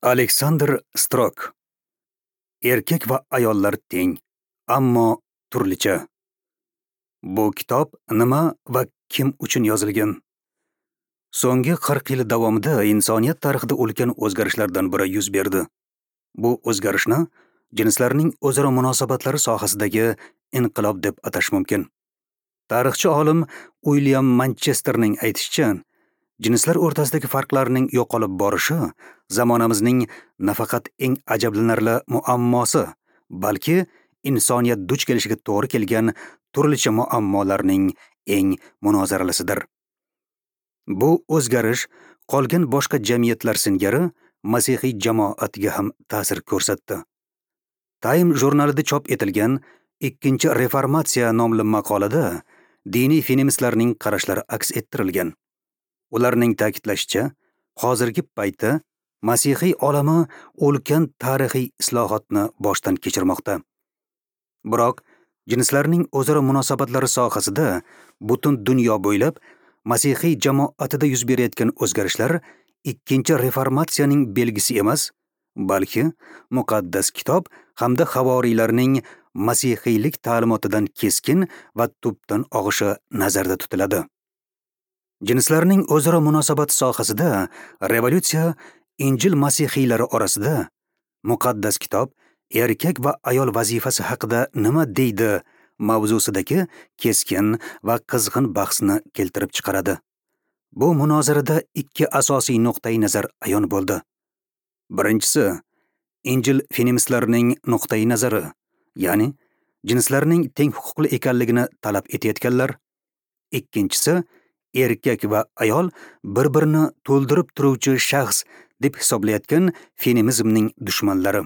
Aleksandr Strok. Erkak va ayollar teng, ammo turlicha. Bu kitob nima va kim uchun yozilgan? So'nggi 40 yil davomida insoniyat tarixida ulkan o'zgarishlardan biri yuz berdi. Bu o'zgarishni jinslarning o'zaro munosabatlari sohasidagi inqilob deb atash mumkin. Tarixchi olim Uilyam Manchesterning aytishicha, jinslar o'rtasidagi farqlarning yo'qolib borishi zamonamizning nafaqat eng ajablanarli muammosi, balki insoniyat duch kelishiga to'g'ri kelgan turlicha muammolarning eng munozaralisidir. Bu o'zgarish qolgan boshqa jamiyatlar singari masihiy jamoatga ham ta'sir ko'rsatdi. Time jurnalida chop etilgan Ikkinchi reformatsiya nomli maqolada diniy feministlarning qarashlari aks ettirilgan. Ularning ta'kidlashicha, hozirgi paytda masihiy olami ulkan tarixiy islohotni boshdan kechirmoqda. Biroq jinslarning o'zaro munosabatlari sohasida butun dunyo bo'ylab masihiy jamoatida yuz berayotgan o'zgarishlar ikkinchi reformatsiyaning belgisi emas, balki muqaddas kitob hamda havoriylarning masihiylik ta'limotidan keskin va tubdan og'ishi nazarda tutiladi. Jinslarning o'zaro munosabati sohasida revolyutsiya Injil masihiylari orasida muqaddas kitob erkak va ayol vazifasi haqida nima deydi mavzusidagi keskin va qizg'in bahsni keltirib chiqaradi. Bu munozarada ikki asosiy nuqtai nazar ayon bo'ldi. Birinchisi, Injil feministlarining nuqtai nazari, ya'ni jinslarning teng huquqli ekanligini talab etayotganlar. Ikkinchisi, erkak va ayol bir-birini to'ldirib turuvchi shaxs deb hisoblayotgan feminizmning dushmanlari.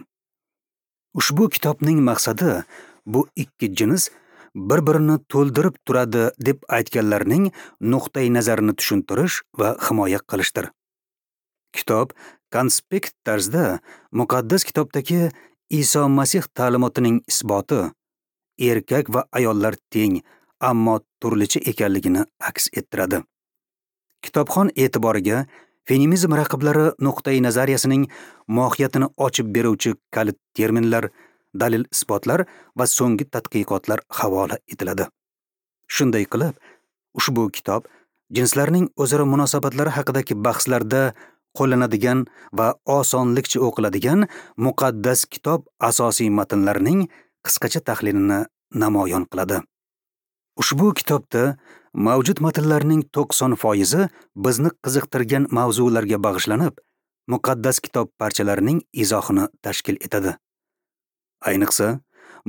Ushbu kitobning maqsadi bu ikki jins bir-birini to'ldirib turadi deb aytganlarning nuqtai nazarini tushuntirish va himoya qilishdir. Kitob konspekt tarzida muqaddas kitobdagi Iso Masih ta'limotining isboti, erkak va ayollar teng, ammo turlicha ekanligini aks ettiradi. Kitobxon e'tiboriga feminizm raqiblari nuqtai nazariyasining mohiyatini ochib beruvchi kalit terminlar, dalil isbotlar va so'nggi tadqiqotlar havola etiladi. Shunday qilib, ushbu kitob jinslarning o'zaro munosabatlari haqidagi bahslarda qo'llanadigan va osonlikcha o'qiladigan muqaddas kitob asosiy matnlarining qisqacha tahlilini namoyon qiladi. Ushbu kitobda mavjud matnlarning 90% bizni qiziqtirgan mavzularga bag'ishlanib, muqaddas kitob parchalarining izohini tashkil etadi. Ayniqsa,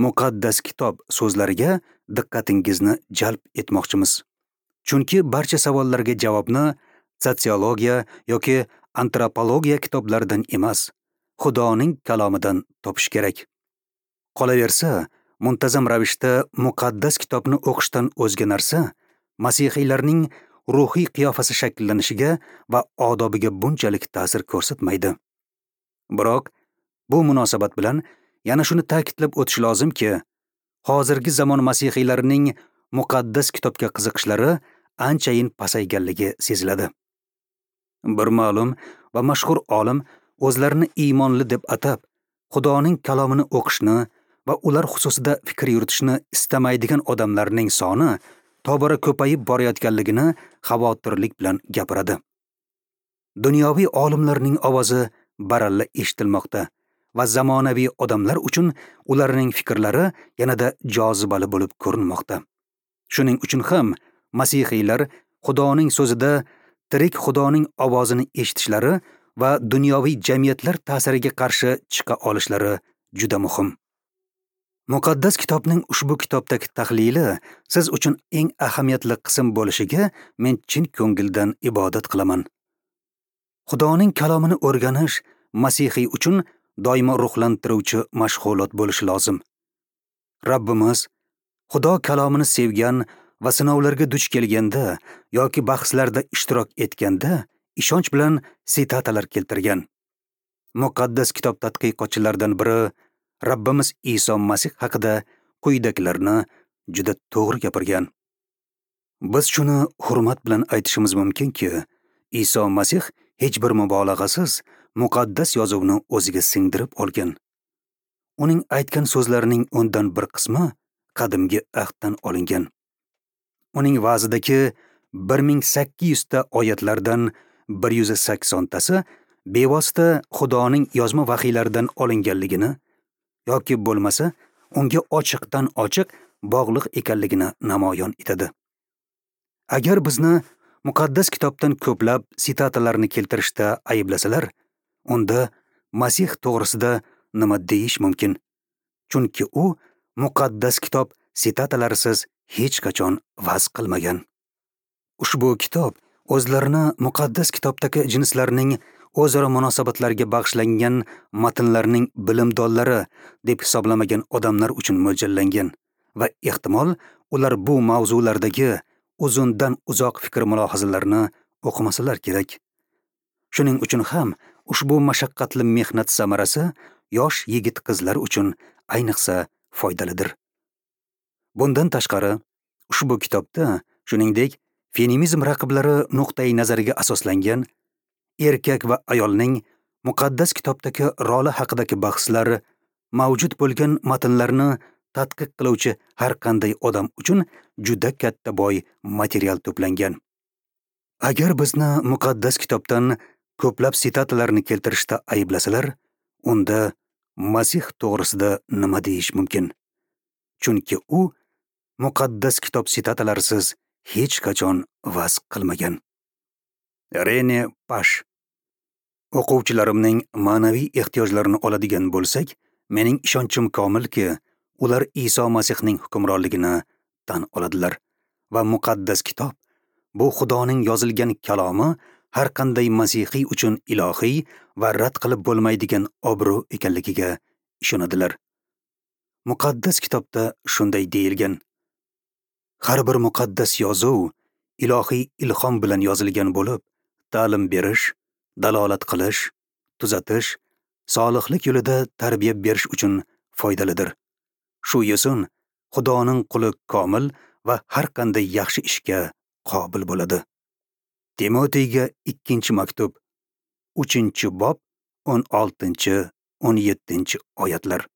muqaddas kitob so'zlariga diqqatingizni jalb etmoqchimiz. Chunki barcha savollarga javobni sotsiologiya yoki antropologiya kitoblaridan emas, Xudoning kalomidan topish kerak. Qolaversa, muntazam ravishda muqaddas kitobni o'qishdan o'zga narsa masihiylarning ruhiy qiyofasi shakllanishiga va odobiga bunchalik ta'sir ko'rsatmaydi. Biroq bu munosabat bilan yana shuni ta'kidlab o'tish lozimki, hozirgi zamon masihiylarining muqaddas kitobga qiziqishlari anchayin pasayganligi seziladi. Bir ma'lum va mashhur olim o'zlarini iymonli deb atab, Xudoning kalomini o'qishni va ular xususida fikr yuritishni istamaydigan odamlarning soni tobora ko'payib borayotganligini xavotirlik bilan gapiradi. Dunyoviy olimlarning ovozi baralla eshitilmoqda va zamonaviy odamlar uchun ularning fikrlari yanada jozibali bo'lib ko'rinmoqda. Shuning uchun ham masihiylar Xudoning so'zida tirik Xudoning ovozini eshitishlari va dunyoviy jamiyatlar ta'siriga qarshi chiqa olishlari juda muhim. Muqaddas kitobning ushbu kitobdagi tahlili siz uchun eng ahamiyatli qism bo'lishiga men chin ko'ngildan ibodat qilaman. Xudoning kalomini o'rganish masihiy uchun doimo ruhlantiruvchi mashg'ulot bo'lishi lozim. Rabbimiz Xudo kalomini sevgan va sinovlarga duch kelganda yoki bahslarda ishtirok etganda ishonch bilan sitatalar keltirgan. Muqaddas kitob tadqiqotchilaridan biri Rabbimiz Iso Masih haqida quyidagilarni juda to'g'ri gapirgan. Biz shuni hurmat bilan aytishimiz mumkinki, Iso Masih hech bir mubolag'asiz muqaddas yozuvni o'ziga singdirib olgan. Uning aytgan so'zlarining 1/10 qismi qadimgi ahddan olingan. Uning va'zidagi 1800 ta oyatlardan 180 tasi bevosita Xudoning yozma vahiylaridan olinganligini yoki bo'lmasa unga ochiqdan ochiq bog'liq ekanligini namoyon etadi. Agar bizni muqaddas kitobdan ko'plab sitatalarni keltirishda ayblasalar, unda Masih to'g'risida nima deyish mumkin? Chunki u muqaddas kitob sitatalarsiz hech qachon va'z qilmagan. Ushbu kitob o'zlarini muqaddas kitobdagi jinslarning o'zaro munosabatlariga bag'ishlangan matnlarning bilimdonlari deb hisoblamagan odamlar uchun mo'ljallangan va ehtimol ular bu mavzulardagi uzundan uzoq fikr mulohazalarni o'qimasalar kerak. Shuning uchun ham ushbu mashaqqatli mehnat samarasi yosh yigit-qizlar uchun ayniqsa foydalidir. Bundan tashqari, ushbu kitobda shuningdek feminizm raqiblari nuqtai nazariga asoslangan erkak va ayolning muqaddas kitobdagi roli haqidagi bahslar mavjud bo'lgan matnlarni tadqiq qiluvchi har qanday odam uchun juda katta boy material to'plangan. Agar bizni muqaddas kitobdan ko'plab sitatalarni keltirishda ayblasalar, unda Masih to'g'risida nima deyish mumkin? Chunki u muqaddas kitob sitatalarsiz hech qachon va'z qilmagan. Rene Pash. O'quvchilarimning ma'naviy ehtiyojlarini oladigan bo'lsak, mening ishonchim komilki, ular Iso Masihning hukmronligini tan oladilar va muqaddas kitob bu Xudoning yozilgan kalomi har qanday masihiy uchun ilohiy va rad qilib bo'lmaydigan obro' ekanligiga ishonadilar. Muqaddas kitobda shunday deyilgan: har bir muqaddas yozuv ilohiy ilhom bilan yozilgan bo'lib, ta'lim berish, dalolat qilish, tuzatish, solihlik yo'lida tarbiya berish uchun foydalidir. Shu yo'sin Xudoning quli komil va har qanday yaxshi ishga qobil bo'ladi. Timoteyga 2-maktub, 3-bob, 16-17 oyatlar.